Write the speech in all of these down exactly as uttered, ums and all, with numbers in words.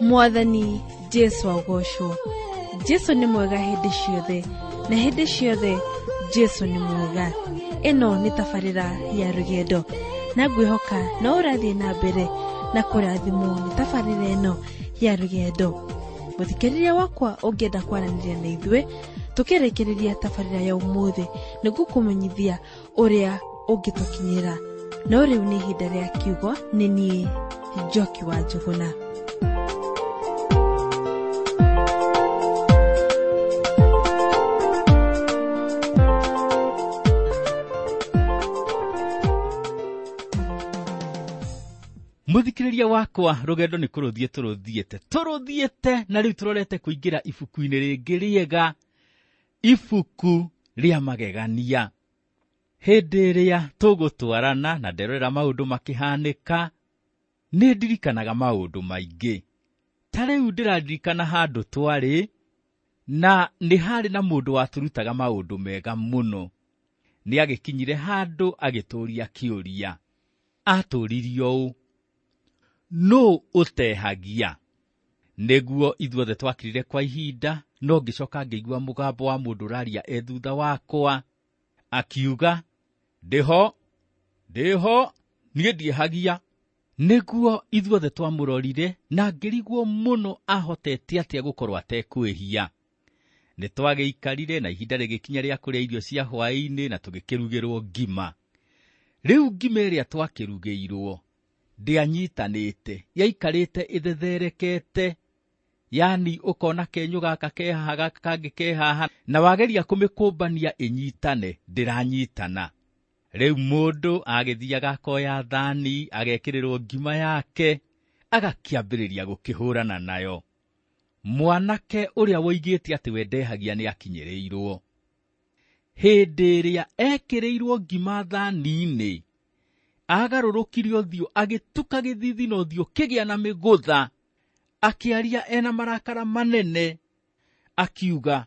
Mwathani Jesu agocwo. Jesu nĩ mwega hĩndĩ ciothe, na hĩndĩ ciothe Jesu nĩ mwega. Ĩno nĩ tabarĩra ya rũgendo, na ngwĩhoka no ũrathiĩ na mbere na kũrathimwo nĩ tabarĩra ĩno ya rũgendo. Mũthikĩrĩria wakwa ũngĩenda kwaranĩria na ithuĩ tũkĩrĩkĩrĩria tabarĩra ya ũmũthĩ, nĩngũkũmenyithia ũrĩa ũngĩtũkinyĩra. No rĩu nĩ ihinda rĩa kiugo, nĩ niĩ Njoki wa Njũgũna. Mũthikĩrĩria wakwa, rũgendo nĩ kũrũthiĩ tũrũthiĩte tũrũthiĩte na rĩu tũrorete kũingĩra ibuku-inĩ rĩngĩ rĩega, ibuku rĩa magegania. Hĩndĩ ĩrĩa tũgũtwarana na nderorera maũndũ makĩhanĩka, nĩ ndirikanaga maũndũ maingĩ. Ta rĩu ndĩraririkana handũ twarĩ, na nĩ harĩ na mũndũ watũrutaga maũndũ mega mũno. Nĩ agĩkinyire handũ agĩtũria kĩũria. Atũririe ũũ: nũ ũtehagia? Nĩguo ithuothe twakirire kwa ihinda, no ngĩcoka ngĩigua mũgambo wa mũndũ ũraria e thutha wakwa, akiuga, ndĩho, ndĩho, niĩ ndiehagia. Nĩguo ithuothe twamũrorire na ngĩrigwo mũno ahotete atĩa gũkorwo atekwĩhia. Nĩ twagĩikarire na ihinda rĩgĩkinya rĩa kũrĩa irio cia hwaĩ-inĩ na tũgĩkĩrugĩrwo ngima. Rĩu ngima ĩrĩa twakĩrugĩirwo ndĩanyitanĩte, yaikarĩte ĩthetherekete, yani ũkona kenyũ gaka ke haha, gaka kangĩ ke haha, na wageria kũmĩkũmbania ĩnyitane, ndĩranyitana. Rĩu mũndũ agĩthiaga akoya thani, agekĩrĩrwo ngima yake, agakĩambĩrĩria gũkĩhũrana nayo. Mwanake ũrĩa woigĩte atĩ we ndehagia nĩ akinyĩrĩirwo. Hĩndĩ ĩrĩa ekĩrĩirwo ngima thani-inĩ, agarũrũkire ũthiũ, agĩtuka gĩthithi na ũthiũ kĩgĩa na mĩgũtha, akĩaria ena marakara manene, akiuga,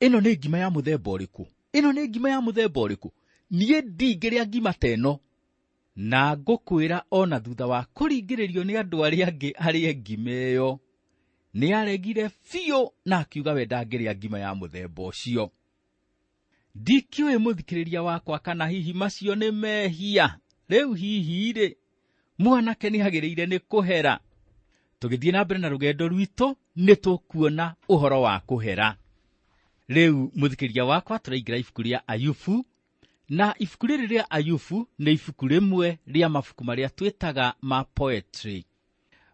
ĩno nĩ ngima ya mũthemba ũrĩkũ? Ĩno nĩ ngima ya mũthemba ũrĩkũ? Niĩ ndingĩrĩa ngima ta ĩno. Na ngũkwĩra ona thutha wa kũringĩrĩrio nĩ andũ arĩa angĩ arĩe ngima ĩyo, nĩ aregire biũ na akiuga we ndangĩrĩa ngima ya mũthemba ũcio. Ndikĩũĩ mũthikĩrĩria wakwa kana hihi macio nĩ mehia. Rĩu hihi rĩ, mwanake nĩ agĩrĩire nĩ kũhera. Tũgĩthiĩ na mbere na rũgendo rwitũ, nĩ tũkuona ũhoro wa kũhera. Rĩu mũthikĩrĩria wakwa, tũraingĩra ibuku rĩa Ayubu, na ibuku rĩrĩ rĩa Ayubu nĩ ibuku rĩmwe rĩa mabuku marĩa twĩtaga ma poetry.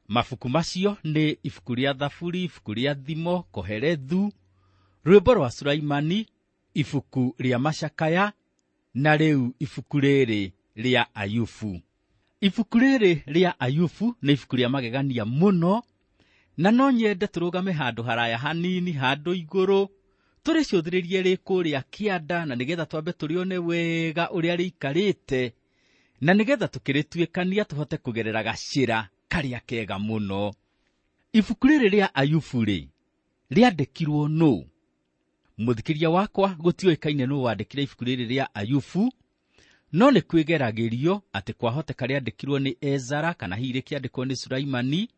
Mabuku macio nĩ ibuku rĩa Thaburi, ibuku rĩa Thimo, Kohelethu, rwĩmbo rwa Sulaimani, ibuku rĩa Macakaya, na rĩu ibuku rĩrĩ rĩa Ayubu. Ibuku rĩrĩ rĩa Ayubu nĩ ibuku rĩa magegania mũno, na no nyende tũrũgame handũ haraya hanini, handũ igũrũ, tũrĩcũthĩrĩrie rĩ kũrĩa kĩanda, na nĩgetha twambe tũrĩone wega ũrĩa rĩikarĩte, na nĩgetha tũkĩrĩtuĩkania tũhote kũgerera gacĩra karĩa kega mũno. Ibuku rĩrĩ rĩa Ayubu rĩ, rĩandĩkirwo nũ? Mũthikĩria wakwa, gũtiũĩkaine nũ wandĩkire ibuku rĩrĩ rĩa Ayubu, no nĩ kwĩgeragĩrio atĩ kwahoteka rĩandĩkirwo nĩ Ezara, kana hihi rĩkĩandĩkwo nĩ Sulaimani,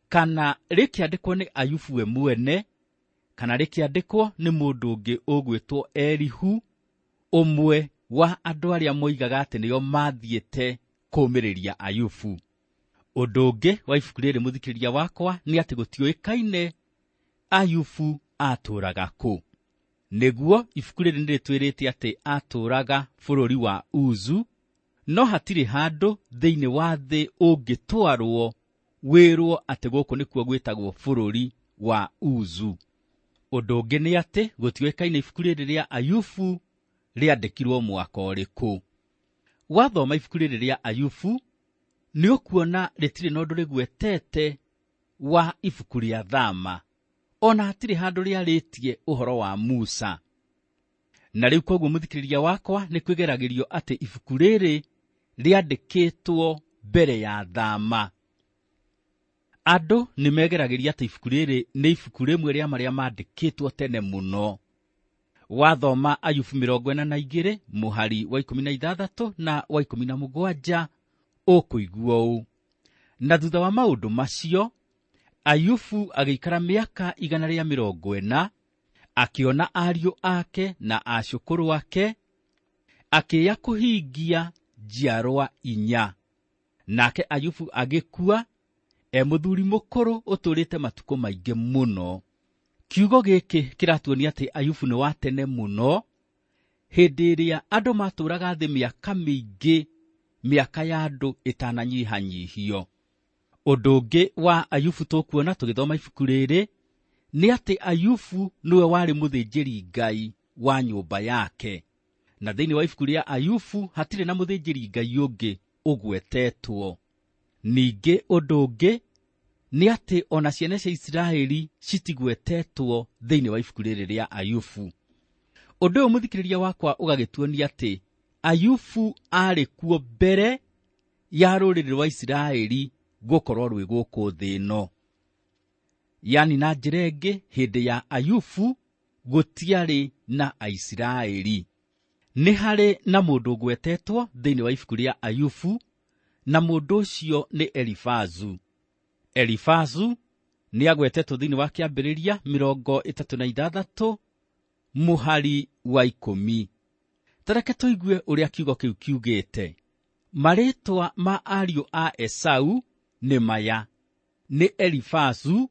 kana rĩkĩandĩkwo nĩ Ayubu we mwene, kana rĩkĩandĩkwo nĩ mũndũ ũngĩ ũgwĩtwo Elihu, ũmwe wa andũ arĩa moigaga atĩ nĩo mathiĩte kũũmĩrĩria Ayubu. Ũndũ ũngĩ wa ibuku rĩrĩ mũthikĩrĩria wakwa nĩ atĩ gũtiũĩkaine Ayubu atũũraga kũ. Nĩguo ibuku rĩrĩ nĩ rĩtwĩrĩte atĩ atũũraga bũrũri wa Uzu, no hatirĩ handũ thĩinĩ wa thĩ ũngĩtwarwo wĩrwo atĩ gũkũ nĩkuo gwĩtagwo bũrũri wa Uzu. Ũndũ ũngĩ nĩ atĩ gũtiũĩkaine ibuku rĩrĩ rĩa Ayubu rĩandĩkirwo mwaka ũrĩkũ. Wathoma ibuku rĩrĩ rĩa Ayubu nĩ ũkuona rĩtirĩ na ũndũ rĩgwetete wa ibuku rĩa Thama, ona hatirĩ handũ rĩarĩtie ũhoro wa Musa. Na rĩu koguo mũthikĩrĩria wakwa, nĩ kwĩgeragĩrio atĩ ibuku rĩrĩ rĩandĩkĩtwo mbere ya Thama. Andũ nĩ megeragĩria atĩ ibuku rĩrĩ nĩ ibuku rĩmwe rĩa marĩa mandĩkĩtwo tene mũno. Wathoma Ayubu mĩrongo ĩna na igĩrĩ mũhari wa ikũmi na ithathatũ na wa ikũmi na mũgwanja ũkũigua ũũ: na thutha wa maũndũ macio Ayubu agĩikara mĩaka igana rĩa mĩrongo ĩna, akĩona ariũ ake na acũkũrũ ake, akĩya kũhingia njiarwa inya. Nake Ayubu agĩkua e mũthuri mũkũrũ ũtũũrĩte matukũ maingĩ mũno. Kiugo gĩkĩ kĩratuonia atĩ Ayubu nĩ wa tene mũno, hĩndĩ ĩrĩa andũ matũũraga thĩ mĩaka mĩingĩ, mĩaka ya andũ ĩtananyihanyihio. Ũndũ ũngĩ wa Ayubu tũkuona tũgĩthoma ibuku rĩrĩ nĩ atĩ Ayubu nĩwe warĩ mũthĩnjĩri Ngai wa nyũmba yake. Na thĩinĩ wa ibuku rĩa Ayubu hatirĩ na mũthĩnjĩri Ngai ũngĩ ũgwetetwo. Ningĩ ũndũ ũngĩ nĩ atĩ ona ciana cia Isiraeli citigwetetwo thĩinĩ wa ibuku rĩrĩ rĩa Ayubu. Ũndũ ũyũ mũthikĩrĩria wakwa ũgagĩtuonia atĩ Ayubu aarĩ kuo mbere ya rũrĩrĩ rwa Isiraeli gũkorwo rwĩ gũkũ thĩ ĩno. Yani na njĩra ĩngĩ, hĩndĩ ya Ayubu gũtiarĩ na Aisiraeli. Nĩ harĩ na mũndũ ũgwetetwo thĩinĩ wa ibuku rĩa Ayubu, na mũndũ ũcio nĩ Elifazu. Elifazu nĩ agwetetwo thĩinĩ wa kĩambĩrĩria mĩrongo ĩtatũ na ithathatũ mũhari wa ikũmi. Tareke tũigue ũrĩa kiugo kĩu kiugĩte. Marĩtwa ma ariũ a Esau nĩ maya: nĩ Elifazu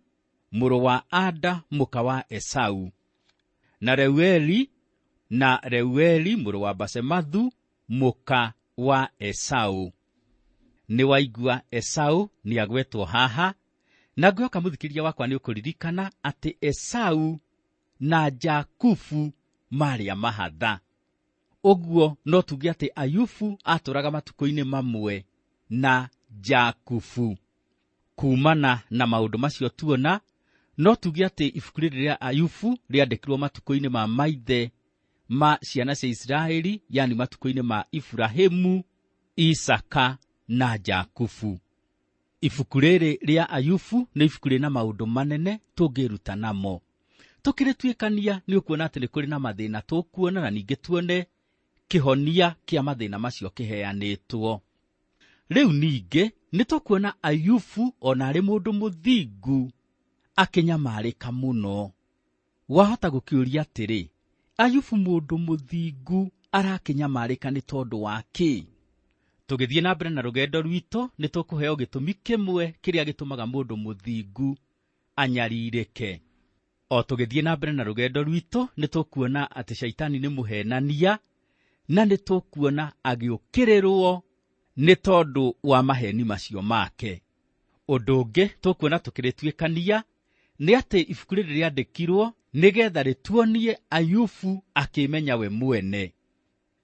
mũrũ wa Ada mũka wa Esau, na Reueli, na Reueli mũrũ wa Basemathu mũka wa Esau. Nĩ waigua Esau nĩ agwetwo haha, na ngwĩhoka mũthikĩrĩria wakwa nĩ ũkũririkana atĩ Esau na Jakubu marĩ a mahatha. Ũguo no tuge atĩ Ayubu atũraga matukũ-inĩ mamwe na Jakubu. Kumana na maũndũ macio tuona, no tuge atĩ ibuku rĩrĩ rĩa Ayubu rĩandĩkirwo matukũ-inĩ ma maithe ma ciana cia Isiraeli, yani matukũ-inĩ ma Iburahĩmu, Isaka na Jakubu. Ibuku rĩrĩ rĩa Ayubu nĩ ibuku rĩna maũndũ manene tũngĩruta namo. Tũkĩrĩtuĩkania nĩ ũkuona atĩ nĩ kũrĩ na mathĩna tũkuona, na ningĩ tuone kĩhonia kĩa mathĩna macio kĩheanĩtwo. Rĩu ningĩ nĩ tũkuona Ayubu ona arĩ mũndũ mũthingu akĩnyamarĩka mũno. Wahota gũkĩũria atĩrĩ, Ayubu mũndũ mũthingu arakĩnyamarĩka nĩ tondũ wa kĩ? Tũgĩthiĩ na mbere na rũgendo rwitũ nĩ tũkũheo gĩtũmi kĩmwe kĩrĩa gĩtũmaga mũndũ mũthingu anyarirĩke. O tũgĩthiĩ na mbere na rũgendo rwitũ nĩ tũkuona atĩ Shaitani nĩ mũhenania, na nĩ tũkuona agĩũkĩrĩrwo nĩ tondũ wa maheni macio make. Ũndũ ũngĩ tũkuona tũkĩrĩtuĩkania nĩ atĩ ibuku rĩrĩ rĩandĩkirwo nĩgetha rĩtuonie Ayubu akĩmenya we mwene.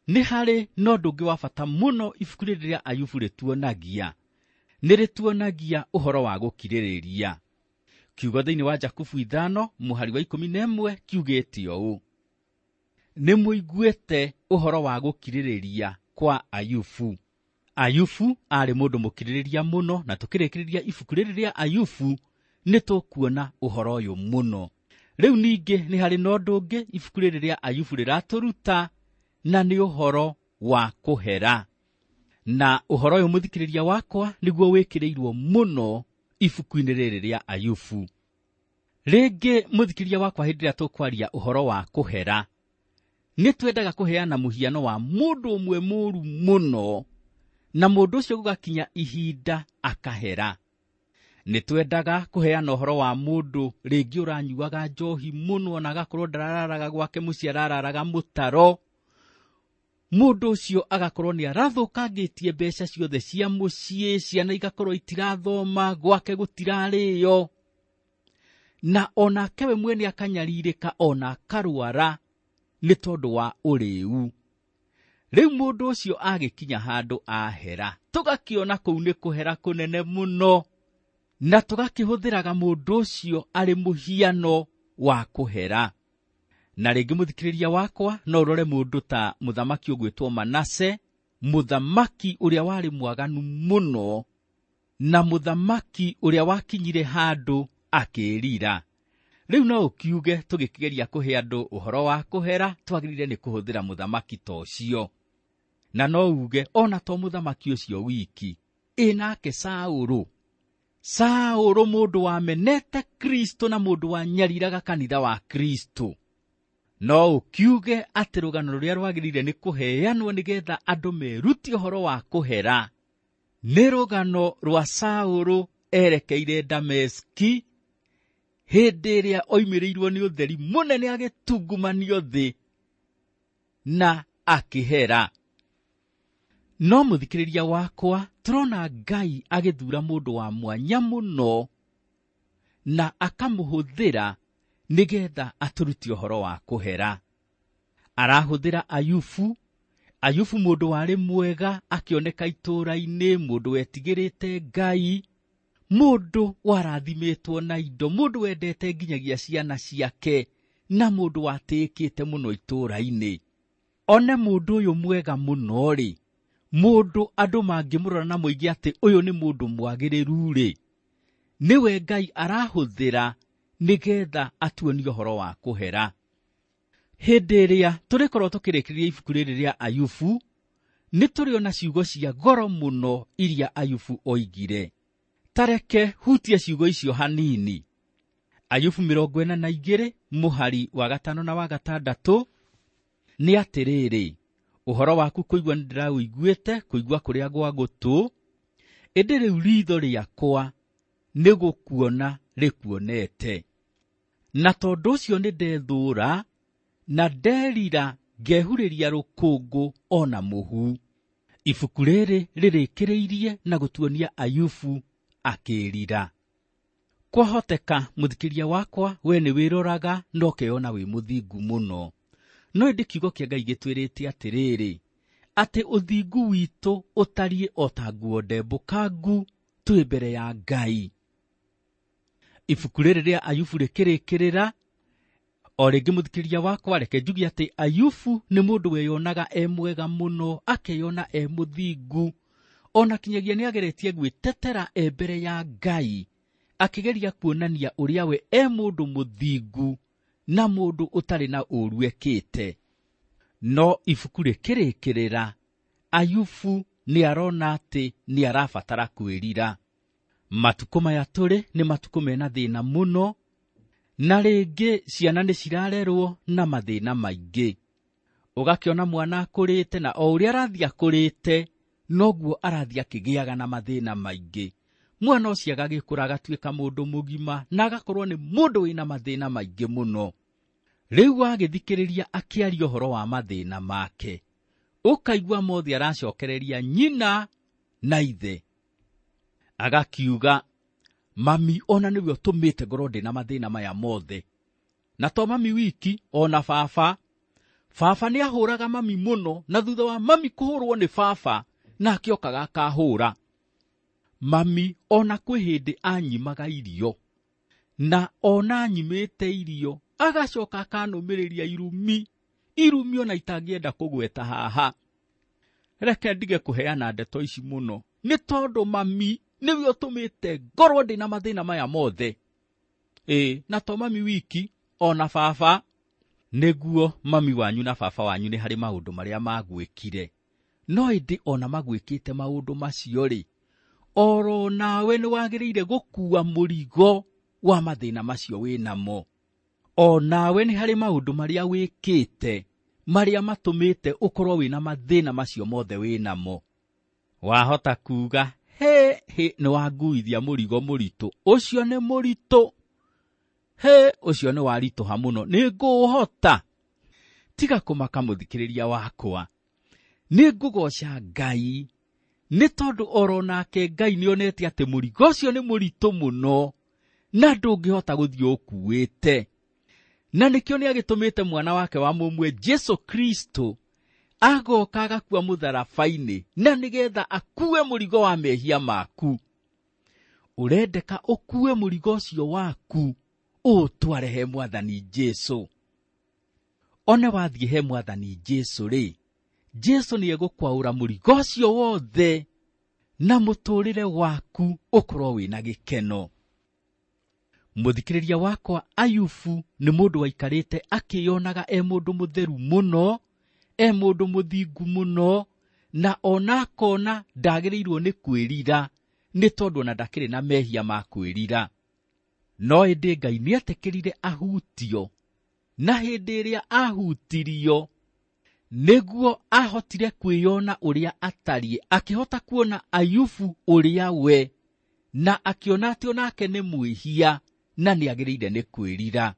Nĩ harĩ na ũndũ ũngĩ wa bata mũno ibuku rĩrĩ rĩa Ayubu rĩtuonagia. Nĩ rĩtuonagia ũhoro wa gũkirĩrĩria. Kiugo thĩinĩ wa Jakubu ithano mũhari wa ikũmi na ĩmwe kiugĩte ũũ: nĩ mũiguĩte ũhoro wa gũkirĩrĩria kwa Ayubu. Ayubu aarĩ mũndũ mũkirĩrĩria mũno, na tũkĩrĩkĩrĩria ibuku rĩrĩ rĩa Ayubu nĩ tũkuona ũhoro ũyũ mũno. Rĩu ningĩ nĩ harĩ na ũndũ ũngĩ ibuku rĩrĩ rĩa Ayubu rĩratũruta, na nĩ ũhoro wa kũhera. Na ũhoro ũyũ mũthikĩrĩria wakwa nĩguo wĩkĩrĩirwo mũno ibuku-inĩ rĩrĩ rĩa Ayubu. Rĩngĩ mũthikĩrĩria wakwa, hĩndĩ ĩrĩa tũkwaria ũhoro wa kũhera, nĩ twendaga kũheana mũhiano wa mũndũ ũmwe mũũru mũno, na mũndũ ũcio gũgakinya ihinda akahera. Nĩ twendaga kũheana ũhoro wa mũndũ rĩngĩ ũranyuaga njohi mũno, na agakorwo ndarararaga gwake mũciĩ, arararaga mũtaro. Mũndũ ũcio agakorwo nĩ arathũkangĩtie mbeca ciothe cia mũciĩ, ciana igakorwo itirathoma, gwake gũtirarĩo, na onake we mwene akanyarirĩka ona akarwara nĩ tondũ wa ũrĩu. Rĩu mũndũ ũcio agĩkinya handũ ahera, tũgakĩona kũu nĩ kũhera kũnene mũno, na tũgakĩhũthĩraga mũndũ ũcio arĩ mũhiano wa kũhera. Na rĩngĩ mũthikĩrĩria wakwa, no ũrore mũndũ ta mũthamaki ũgwĩtwo Manase, mũthamaki ũrĩa warĩ mwaganu mũno, na mũthamaki ũrĩa wakinyire handũ akĩĩrira. Rĩu no ũkiuge tũgĩkĩgeria kũhe andũ ũhoro wa kũhera, twagĩrĩire nĩ kũhũthĩra mũthamaki ta ũcio. Na no uge ona to mũthamaki ũcio wiki, ĩ nake Saũlũ. Saũlũ mũndũ wamenete Kristo na mũndũ wanyariraga kanitha wa Kristo. No ũkiuge atĩ rũgano rũrĩa rwagĩrĩire nĩ kũheanwo nĩgetha andũ merute ũhoro wa kũhera nĩ rũgano rwa Saũlũ erekeire Dameski hĩndĩ ĩrĩa oimĩrĩirwo nĩ ũtheri mũnene agĩtungumanio thĩ na akĩhera. No mũthikĩrĩria wakwa, tũrona Ngai agĩthura mũndũ wa mwanya mũno na akamũhũthĩra nĩgetha atũrute ũhoro wa kũhera. Arahũthĩra Ayubu. Ayubu mũndũ warĩ mwega akĩoneka itũũra-inĩ, mũndũ wetigĩrĩte Ngai, mũndũ warathimĩtwo na indo, mũndũ wendete nginyagia ciana ciake, na mũndũ watĩĩkĩte mũno itũũra-inĩ. One mũndũ ũyũ mwega mũno-rĩ, mũndũ andũ mangĩmũrora na moige atĩ ũyũ nĩ mũndũ mwagĩrĩru-rĩ, nĩwe Ngai arahũthĩra nĩgetha atuonie ũhoro wa kũhera. Hĩndĩ ĩrĩa tũrĩkorwo tũkĩrĩkĩrĩria ibuku rĩrĩ rĩa Ayubu, nĩ tũrĩona ciugo cia goro mũno iria Ayubu oigire. Tareke hutie ciugo icio hanini. Ayubu mĩrongo ĩna na igĩrĩ mũhari wa gatano na wa gatandatũ nĩ atĩrĩrĩ, ũhoro waku kũigua nĩndĩraũiguĩte, kũigua kũrĩa gwa gũtũ, ĩndĩ rĩu ritho rĩakwa nĩ gũkuona rĩkuonete. Na tondũ ũcio nĩndethũũra na nderira ngehurĩria rũkũngũ ona mũhu. Ibuku rĩrĩ rĩrĩkĩrĩirie na gũtuonia Ayubu akĩĩrira. Kwahoteka mũthikĩria wakwa we nĩ wĩroraga na ũkeyona wĩ mũthingu mũno, no ĩndĩ kiugo kĩa Ngai gĩtwĩrĩte atĩrĩrĩ, atĩ ũthingu witũ ũtariĩ o ta nguo ndembũkangu twĩ mbere ya Ngai. Ibuku rĩrĩ rĩa Ayubu rĩkĩrĩkĩrĩra o rĩngĩ mũthikĩria wakwa, reke njuge atĩ Ayubu nĩ mũndũ weyonaga e mwega mũno, akeyona e mũthingu, ona kinyagia nĩageretie gwĩtetera e mbere ya Ngai, akĩgeria kuonania ũrĩa we e mũndũ mũthingu na mũndũ ũtarĩ na ũũru ekĩte. No ibuku rĩkĩrĩkĩrĩra, Ayubu nĩarona atĩ nĩarabatara kwĩrira. Matukũ maya tũrĩ nĩ matukũ mena thĩna mũno, na rĩngĩ ciana nĩ cirarerwo na mathĩna maingĩ. Ũgakĩona mwana akũrĩte, na o ũrĩa arathiĩ akũrĩte noguo arathiĩ akĩgĩaga na mathĩna maingĩ. Mwana ũcio agagĩkũra agatuĩka mũndũ mũgima na agakorwo nĩ mũndũ wĩna mathĩna maingĩ mũno. Rĩu wagĩthikĩrĩria akĩaria ũhoro wa mathĩna make, ũkaigua mothe aracokereria nyina na ithe. Agakiuga, mami ona nĩwe ũtũmĩte ngorwo ndĩna mathĩna maya mothe. Na to mami wiki, ona baba. Baba nĩahũraga mami mũno, na thutha wa mami kũhũrwo nĩ baba, nake okaga akahũra. Mami ona kwĩ hĩndĩ anyimaga irio, na ona anyimĩte irio agacoka akanũmĩrĩria irumi, irumi ona itangĩenda kũgweta haha. Reke ndige kũheana ndeto ici mũno, nĩ tondũ mami nĩwe ũtũmĩte ngorwo ndĩna mathĩna maya mothe. Ĩ, na to mami wiki, ona baba. Nĩguo mami wanyu na baba wanyu nĩ harĩ maũndũ marĩa magwĩkire, no ĩndĩ ona magwĩkĩte maũndũ macio rĩ, oro nawe nĩ wagĩrĩire gũkua mũrigo wa mathĩna macio wĩnamo. O nawe nĩ harĩ maũndũ marĩa wĩkĩte marĩa matũmĩte ũkorwo wĩna mathĩna macio mothe wĩnamo. Wahota kuga, he he, nĩ wanguithia mũrigo mũritũ, ũcio nĩ mũritũ, he ũcio nĩ waritũha mũno, nĩ ngũũhota. Tiga kũmaka mũthikĩrĩria wakwa, nĩ ngũgoca Ngai nĩ tondũ oro nake Ngai nĩonete atĩ mũrigo ũcio nĩ mũritũ mũno na ndũngĩhota gũthiĩ ũkuĩte. Na nĩkĩo nĩagĩtũmĩte mwana wake wa mũmwe Jesu Kristo agoka agakua mũtharaba-inĩ, na nĩgetha akue mũrigo wa mehia maku. Ũrendeka ũkue mũrigo ũcio waku ũũtware he Mwathani Jesu. One wathiĩ he Mwathani Jesu rĩ, Jesu nĩegũkwaũra mũrigo ũcio wothe na mũtũrĩre waku ũkorwo wĩna gĩkeno. Mũthikĩrĩria wakwa, Ayubu nĩ mũndũ waikarĩte akĩyonaga e mũndũ mũtheru mũno, e mũndũ mũthingu mũno, na ona akona ndagĩrĩirwo nĩ kwĩrira nĩ tondũ ona ndakĩrĩ na mehia ma kwĩrira. No ĩndĩ Ngai nĩetĩkĩrire ahutio, na hĩndĩ ĩrĩa ahutirio nĩguo ahotire kwĩyona ũrĩa atariĩ, akĩhota kuona Ayubu ũrĩa we, na akĩona atĩ onake nĩ mwĩhia na nĩagĩrĩire nĩ kwĩrira.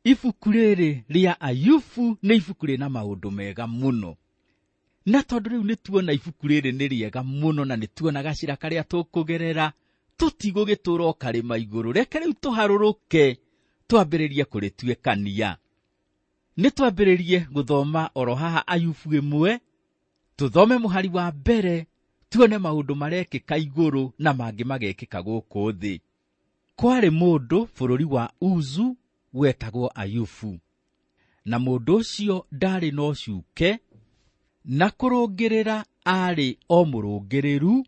Ibuku rĩrĩ rĩa Ayubu nĩ ibuku rĩna maũndũ mega mũno, na tondũ rĩu nĩtuona ibuku rĩrĩ nĩ rĩega mũno na nĩtuona gacĩra karĩa tũkũgerera, tũtigũgĩtũra o karĩma igũrũ. Reke rĩu tũharũrũke twambĩrĩrie kũrĩtuĩkania. Nĩ twambĩrĩrie gũthoma oro haha Ayubu ĩmwe, tũthome mũhari wa mbere, tuone maũndũ marekĩka igũrũ na mangĩ magekĩka gũkũ thĩ. Kwarĩ mũndũ bũrũri wa Uzu wetagwo Ayubu, na mũndũ ũcio ndarĩ na ũcuke, na kũrũngĩrĩra aarĩ o mũrũngĩrĩru,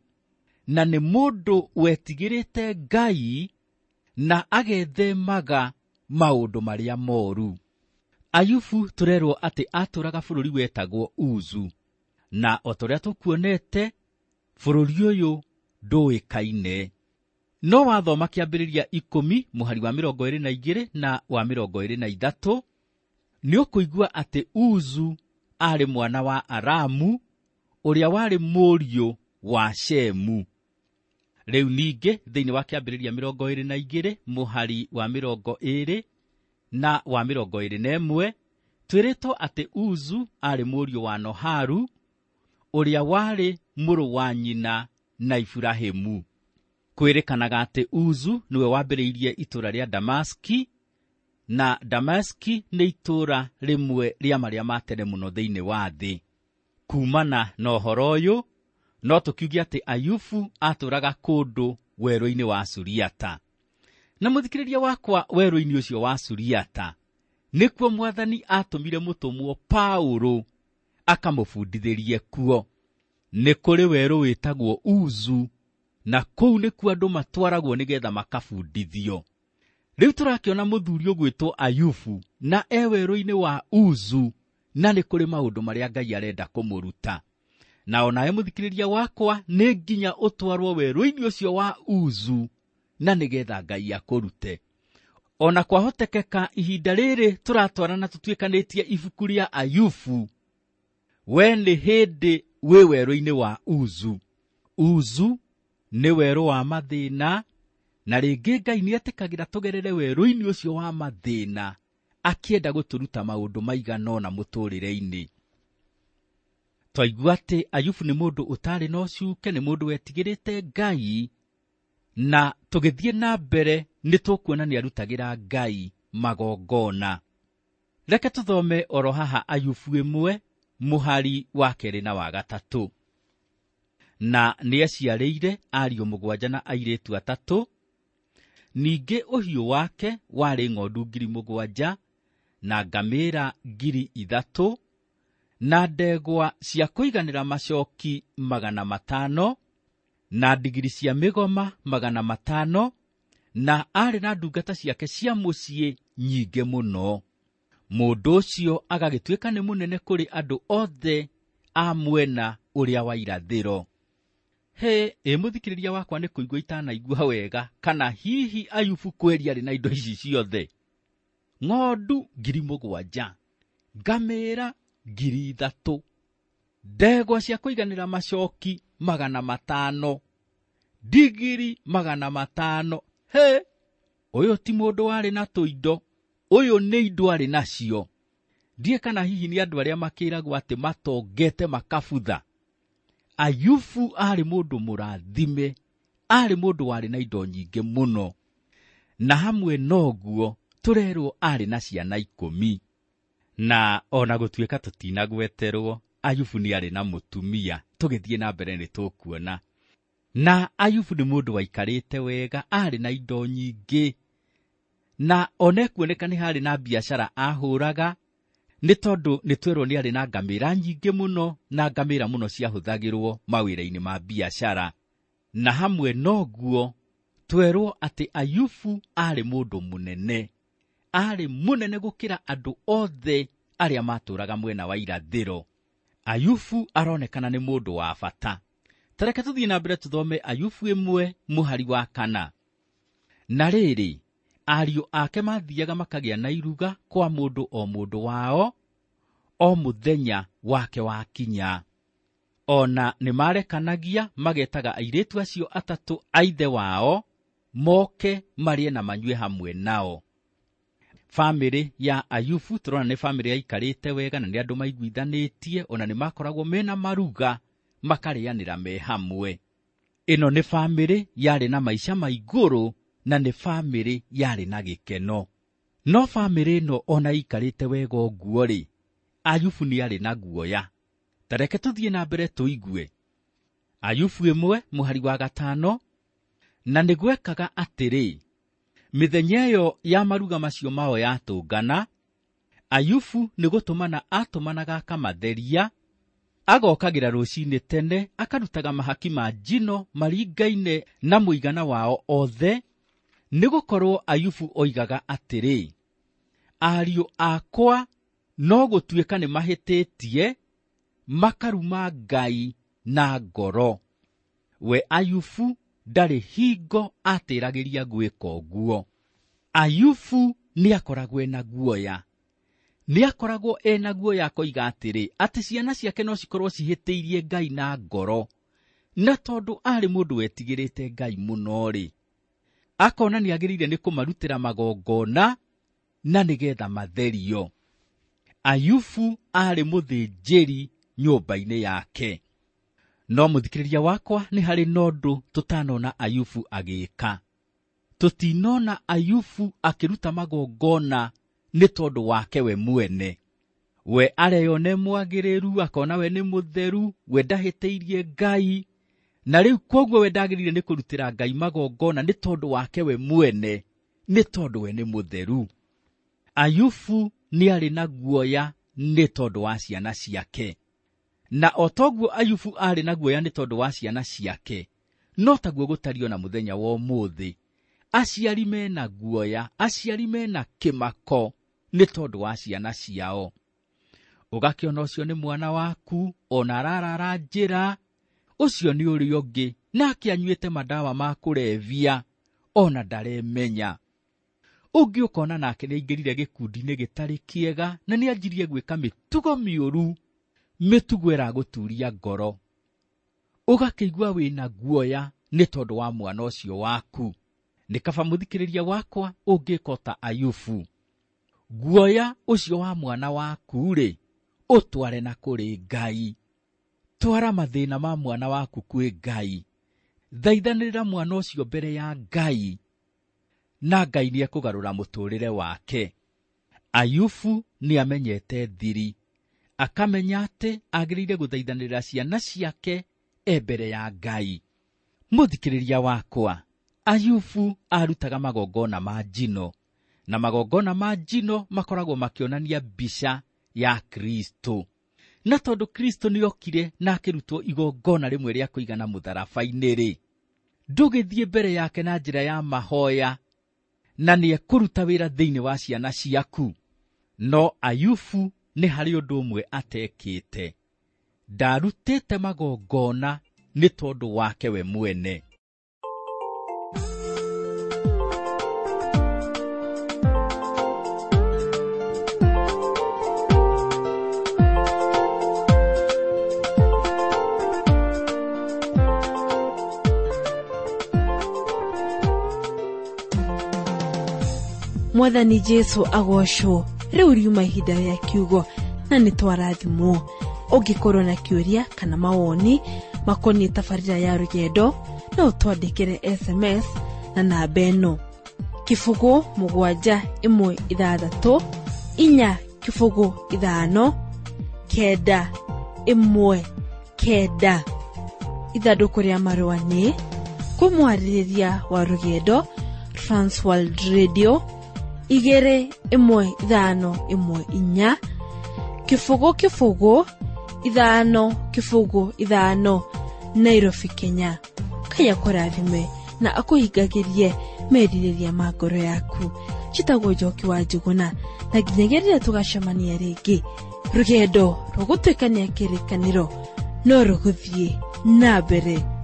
na nĩ mũndũ wetigĩrĩte Ngai na agethemaga maũndũ marĩa moru. Ayubu tũrerwo atĩ atũraga bũrũri wetagwo Uzu, na o ta ũrĩa tũkuonete bũrũri ũyũ ndũĩkaine. No wathoma kĩambĩrĩria ikũmi mũhari wa mĩrongo ĩrĩ na igĩrĩ na wa mĩrongo ĩrĩ na ithatũ, nĩ ũkũigua atĩ Uzu aarĩ mwana wa Aramu ũrĩa warĩ mũriũ wa Shemu. Rĩu ningĩ thĩinĩ wa kĩambĩrĩria mĩrongo ĩrĩ na igĩrĩ mũhari wa mĩrongo ĩrĩ na wa mĩrongo ĩrĩ na ĩmwe, twĩrĩtwo atĩ Uzu aarĩ mũriũ wa Noharu ũrĩa warĩ mũrũ wa nyina na Iburahĩmu. Kwĩrĩkanaga atĩ Uzu nĩwe wambĩrĩirie itũũra rĩa Damaski, na Damaski nĩ itũũra rĩmwe rĩa marĩa ma tene mũno thĩinĩ wa thĩ. Kumana na ũhoro ũyũ no tũkiuge atĩ Ayubu atũũraga kũndũ werũ-inĩ wa Suriata. Na mũthikĩrĩria wakwa, werũ-inĩ ũcio wa Suriata nĩkuo Mwathani atũmire mũtũmwo Paũlũ akamũbundithĩrie kuo. Nĩ kũrĩ werũ wĩtagwo Uzu, na kũu nĩkuo andũ matwaragwo nĩgetha makabundithio. Rĩu tũrakĩona mũthuri ũgwĩtwo Ayubu na e werũ-inĩ wa Uzu, na nĩ kũrĩ maũndũ marĩa Ngai arenda kũmũruta. Na onawe mũthikĩrĩria wakwa, nĩ nginya ũtwarwo werũ-inĩ ũcio wa Uzu na nĩgetha Ngai akũrute. Ona kwahotekeka ihinda rĩrĩ tũratwarana tũtuĩkanĩtie ibuku rĩa Ayubu, we nĩ hĩndĩ wĩ werũ-inĩ wa Uzu. Uzu nĩ werũ wa mathĩna, na rĩngĩ Ngai nĩetĩkagĩra tũgerere werũ-inĩ ũcio wa mathĩna akĩenda gũtũruta maũndũ maigana ũna mũtũrĩre-inĩ. Twaigua atĩ Ayubu nĩ mũndũ ũtarĩ na ũcuke, nĩ mũndũ wetigĩrĩte Ngai, na tũgĩthiĩ na mbere nĩ tũkuona nĩ arutagĩra Ngai magongona. Reke tũthome oro haha Ayubu ĩmwe mũhari wa kerĩ na wa gatatũ. Na nĩaciarĩire ariũ mũgwanja na airĩtu atatũ. Ningĩ ũhiũ wake warĩ ng'ondu ngiri mũgwanja na ngamĩĩra ngiri ithatũ na ndegwa cia kũiganĩra macoki magana matano na ndigiri cia mĩgoma magana matano, na aarĩ na ndungata ciake cia mũciĩ nyingĩ mũno. Mũndũ ũcio agagĩtuĩka nĩ mũnene kũrĩ andũ othe a mwena ũrĩa wa irathĩro. He, ĩ mũthikĩrĩria wakwa, nĩ kũigua itanaigua wega, kana hihi Ayubu kweri arĩ na indo ici ciothe? Ng'ondu ngiri mũgwanja, ngamĩĩra ngiri ithatũ, ndegwa cia kũiganĩra macoki magana matano, ndigiri magana matano. He, ũyũ ti mũndũ warĩ na tũindo, ũyũ nĩ indo arĩ nacio. Ndiĩ kana hihi nĩ andũ arĩa makĩragwo atĩ matongete makabutha. Ayubu aarĩ mũndũ mũrathime, aarĩ mũndũ warĩ na indo nyingĩ mũno, na hamwe noguo tũrerwo aarĩ na ciana ikũmi. Na ona gũtuĩka tũtinagweterwo, Ayubu nĩ arĩ na mũtumia, tũgĩthiĩ na mbere nĩ tũkuona. Na Ayubu nĩ mũndũ waikarĩte wega, aarĩ na indo nyingĩ, na ona ekuoneka nĩ harĩ na biacara ahũraga, nĩ tondũ nĩ twerwo nĩ arĩ na ngamĩĩra nyingĩ mũno, na ngamĩĩra mũno ciahũthagĩrwo mawĩra-inĩ ma biacara. Na hamwe noguo twerwo atĩ Ayubu aarĩ mũndũ mũnene, aarĩ mũnene gũkĩra andũ othe arĩa matũraga mwena wa irathĩro. Ayubu aronekana nĩ mũndũ wa bata. Tareke tũthiĩ na mbere tũthome Ayubu ĩmwe mũhari wa kana. Na rĩrĩ, ariũ ake mathiaga makagĩa na iruga kwa mũndũ o mũndũ wao o mũthenya wake wakinya. Ona nĩmarekanagia magetaga airĩtu acio atatũ a ithe wao moke marĩe na manyue hamwe nao. Famĩlĩ ya Ayubu tũrona nĩ famĩlĩ yaikarĩte wega na nĩ andũ maiguithanĩtie, ona nĩ makoragwo mena maruga makarĩanĩra me hamwe. Ĩno nĩ famĩlĩ yarĩ na maica ma igũrũ na nĩ famĩlĩ yarĩ na gĩkeno. No famĩlĩ ĩno ona ĩikarĩte wega ũguo-rĩ, Ayubu nĩ arĩ na guoya. Ta reke tũthiĩ na mbere tũigue. Ayubu ĩmwe mũhari wa gatano, na nĩ gwekaga atĩrĩ, mĩthenya ĩyo ya maruga macio mao yatũngana, Ayubu nĩ gũtũmana atũmanaga akamatheria, agokagĩra rũcinĩ tene akarutaga mahaki ma njino maringaine na mũigana wao othe, nĩgũkorwo Ayubu oigaga atĩrĩ, ariũ akwa no gũtuĩka nĩ mahĩtĩtie makaruma Ngai na ngoro. We Ayubu ndarĩ hingo atĩragĩria gwĩka ũguo. Ayubu nĩakoragwo ena guoya. Nĩakoragwo ena guoya akoiga atĩrĩ, atĩ ciana ciake no cikorwo cihĩtĩirie Ngai na ngoro. Na tondũ arĩ mũndũ wetigĩrĩte Ngai mũno-rĩ, akona nĩagĩrĩire nĩ kũmarutĩra magongona na nĩgetha matherio. Ayubu arĩ mũthĩnjĩri nyũmba-inĩ yake. No mũthikĩrĩria wakwa, nĩ harĩ na ũndũ tũtanona Ayubu agĩka. Tũtinona Ayubu akĩruta magongona nĩ tondũ wake we mwene. We areyone mwagĩrĩru, akona we nĩ mũtheru, we ndahĩtĩirie Ngai, na rĩu kwoguo we ndagĩrĩire nĩ kũrutĩra Ngai magongona nĩ tondũ wake we mwene, nĩ tondũ we nĩ mũtheru. Ayubu nĩ arĩ na guoya nĩ tondũ wa ciana ciake. Na o toguo Ayubu arĩ na guoya nĩ tondũ wa ciana ciake, no taguo gũtariĩ na mũthenya wa ũmũthĩ. Aciari mena guoya, aciari mena kĩmako nĩ tondũ wa ciana ciao. Ũgakĩona ũcio nĩ mwana waku, ona ararara njĩra, ũcio nĩ ũrĩa ũngĩ, nake anyuĩte madawa ma kũrebia, ona ndaremenya. Ũngĩ ũkona nake nĩaingĩrire gĩkundi-inĩ gĩtarĩ kĩega, na nĩanjirie gwĩka mĩtugo mĩũru, mĩtugo ĩragũturia ngoro. Ũgakĩigua wĩna guoya nĩ tondũ wa mwana ũcio waku. Nĩ kaba mũthikĩrĩria wakwa ũngĩka ta Ayubu. Guoya ũcio wa mwana waku-rĩ, ũtware na kũrĩ Ngai. Twara mathĩna ma mwana waku kwĩ Ngai. Thaithanĩrĩra mwana ũcio mbere ya Ngai, na Ngai nĩekũgarũra mũtũrĩre wake. Ayubu nĩamenyete thiri, akamenya atĩ agĩrĩire gũthaithanĩrĩra ciana ciake e mbere ya Ngai. Mũthikĩrĩria wakwa, Ayubu arutaga magongona ma njino, na magongona ma njino makoragwo makĩonania mbica ya Kristo. Na tondũ Kristo nĩokire na akĩrutwo igongona rĩmwe rĩa kũigana mũtharaba-inĩ-rĩ, ndũgĩthiĩ mbere yake na njĩra ya mahoya, na nĩekũruta wĩra thĩinĩ wa ciana ciaku. No Ayubu nĩ harĩ ũndũ ũmwe atekĩte. Ndarutĩte magongona nĩ tondũ wake we mwene. Mwathani Jesu agocwo. Rĩu riuma ihinda rĩa kiugo na nĩ twarathimwo. Ũngĩkorwo na kĩũria kana mawoni makoniĩ tabarĩra ya rũgendo, no ũtwandĩkĩre S M S na namba ĩno: kĩbũgũ mũgwanja ĩmwe ithathatũ inya kĩbũgũ ithano kenda ĩmwe kenda. Ithandũkũ rĩa marũa nĩ kũmwarĩrĩria wa rũgendo, Transworld Radio igĩrĩ ĩmwe ithano ĩmwe inya kĩbũgũ kĩbũgũ ithano kĩbũgũ ithano, Nairobi, Kenya. Ngai akũrathime na akũhingagĩrie merirĩria ma ngoro yaku. Njĩtagwo Njoki wa Njũgũna, na nginyagia rĩrĩa tũgacemania rĩngĩ, rũgendo rũgũtuĩkania kĩrĩkanĩro no rũgũthiĩ Na mbere.